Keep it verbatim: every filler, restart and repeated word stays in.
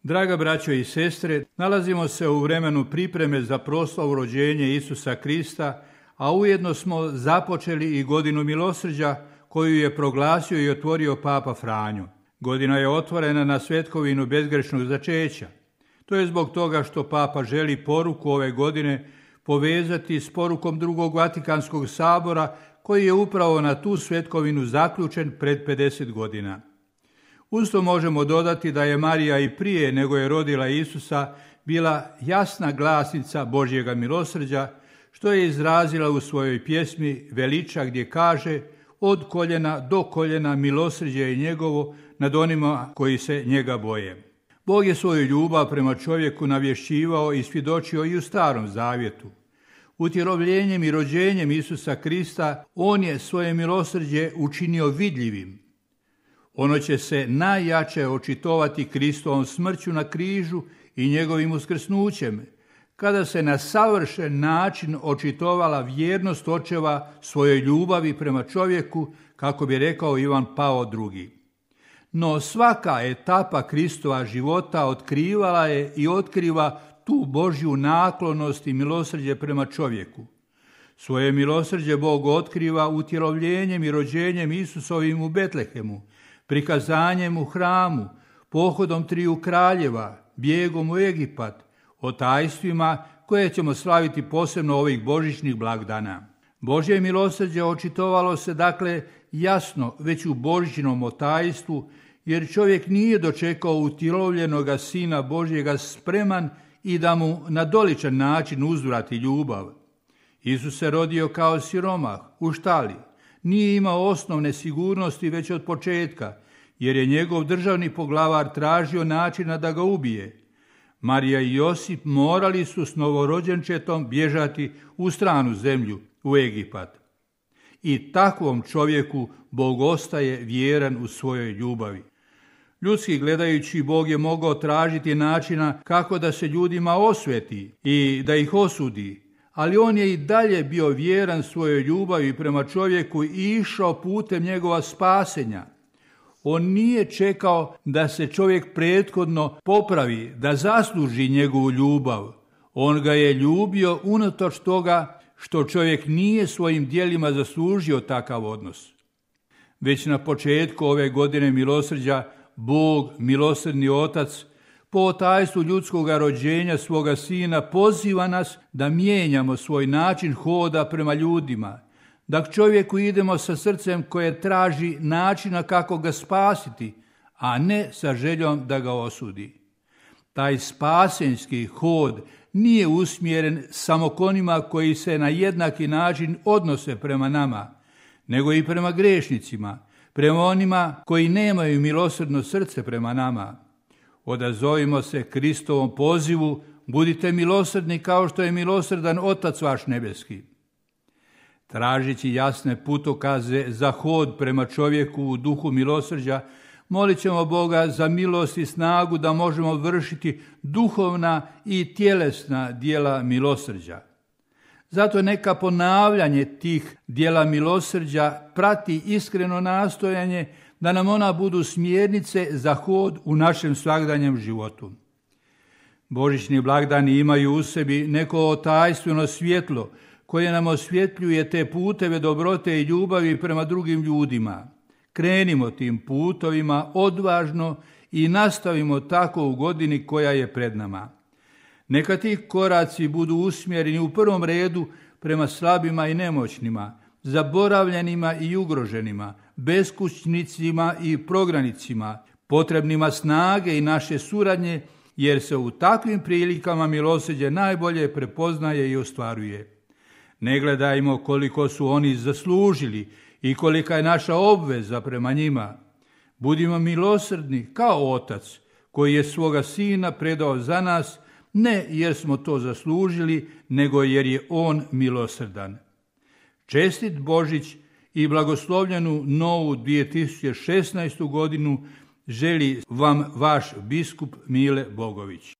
Draga braćo i sestre, nalazimo se u vremenu pripreme za proslavu rođenja Isusa Krista, a ujedno smo započeli i godinu milosrđa koju je proglasio i otvorio Papa Franjo. Godina je otvorena na svetkovinu bezgrešnog začeća. To je zbog toga što Papa želi poruku ove godine povezati s porukom drugog Vatikanskog sabora koji je upravo na tu svetkovinu zaključen pred pedeset godina. Uz to možemo dodati da je Marija i prije nego je rodila Isusa bila jasna glasnica Božjega milosrđa, što je izrazila u svojoj pjesmi Veliča gdje kaže: od koljena do koljena milosrđe je njegovo nad onima koji se njega boje. Bog je svoju ljubav prema čovjeku navješćivao i svjedočio i u Starom zavjetu. Utjelovljenjem i rođenjem Isusa Krista on je svoje milosrđe učinio vidljivim. Ono će se najjače očitovati Kristovom smrću na križu i njegovim uskrsnućem, kada se na savršen način očitovala vjernost očeva svojoj ljubavi prema čovjeku, kako bi rekao Ivan Pavao drugi. No svaka etapa Kristova života otkrivala je i otkriva tu Božju naklonost i milosrđe prema čovjeku. Svoje milosrđe Bog otkriva utjelovljenjem i rođenjem Isusovim u Betlehemu, prikazanjem u hramu, pohodom triju kraljeva, bijegom u Egipat, o tajstvima koje ćemo slaviti posebno ovih božićnih blagdana. Božje milosrđe očitovalo se dakle jasno već u božićnom otajstvu, jer čovjek nije dočekao utjelovljenoga Sina Božjega spreman i da mu na doličan način uzvrati ljubav. Isus se rodio kao siromah u štali. Nije imao osnovne sigurnosti već od početka, jer je njegov državni poglavar tražio načina da ga ubije. Marija i Josip morali su s novorođenčetom bježati u stranu zemlju, u Egipat. I takvom čovjeku Bog ostaje vjeran u svojoj ljubavi. Ljudski gledajući, Bog je mogao tražiti načina kako da se ljudima osveti i da ih osudi, ali on je i dalje bio vjeran svojoj ljubavi prema čovjeku i išao putem njegova spasenja. On nije čekao da se čovjek prethodno popravi, da zasluži njegovu ljubav. On ga je ljubio unatoč toga što čovjek nije svojim djelima zaslužio takav odnos. Već na početku ove godine milosrđa, Bog, milosrdni Otac, po tajstvu ljudskoga rođenja svoga Sina poziva nas da mijenjamo svoj način hoda prema ljudima, da k čovjeku idemo sa srcem koje traži načina kako ga spasiti, a ne sa željom da ga osudi. Taj spasenski hod nije usmjeren samo k onima koji se na jednaki način odnose prema nama, nego i prema grešnicima, prema onima koji nemaju milosrdno srce prema nama. Odazovimo se Kristovom pozivu, budite milosrdni kao što je milosrdan Otac vaš nebeski. Tražeći jasne putokaze za hod prema čovjeku u duhu milosrđa, molit ćemo Boga za milost i snagu da možemo vršiti duhovna i tjelesna djela milosrđa. Zato neka ponavljanje tih djela milosrđa prati iskreno nastojanje da nam ona budu smjernice za hod u našem svakdanjem životu. Božićni blagdani imaju u sebi neko otajstveno svjetlo koje nam osvjetljuje te puteve dobrote i ljubavi prema drugim ljudima. Krenimo tim putovima odvažno i nastavimo tako u godini koja je pred nama. Neka ti koraci budu usmjereni u prvom redu prema slabima i nemoćnima, zaboravljenima i ugroženima, beskućnicima i prognanicima, potrebnima snage i naše suradnje, jer se u takvim prilikama milosrđe najbolje prepoznaje i ostvaruje. Ne gledajmo koliko su oni zaslužili i kolika je naša obveza prema njima. Budimo milosrdni kao Otac koji je svoga Sina predao za nas, ne jer smo to zaslužili, nego jer je On milosrdan. Čestit Božić i blagoslovljenu novu dvije tisuće šesnaestu godinu želi vam vaš biskup Mile Bogović.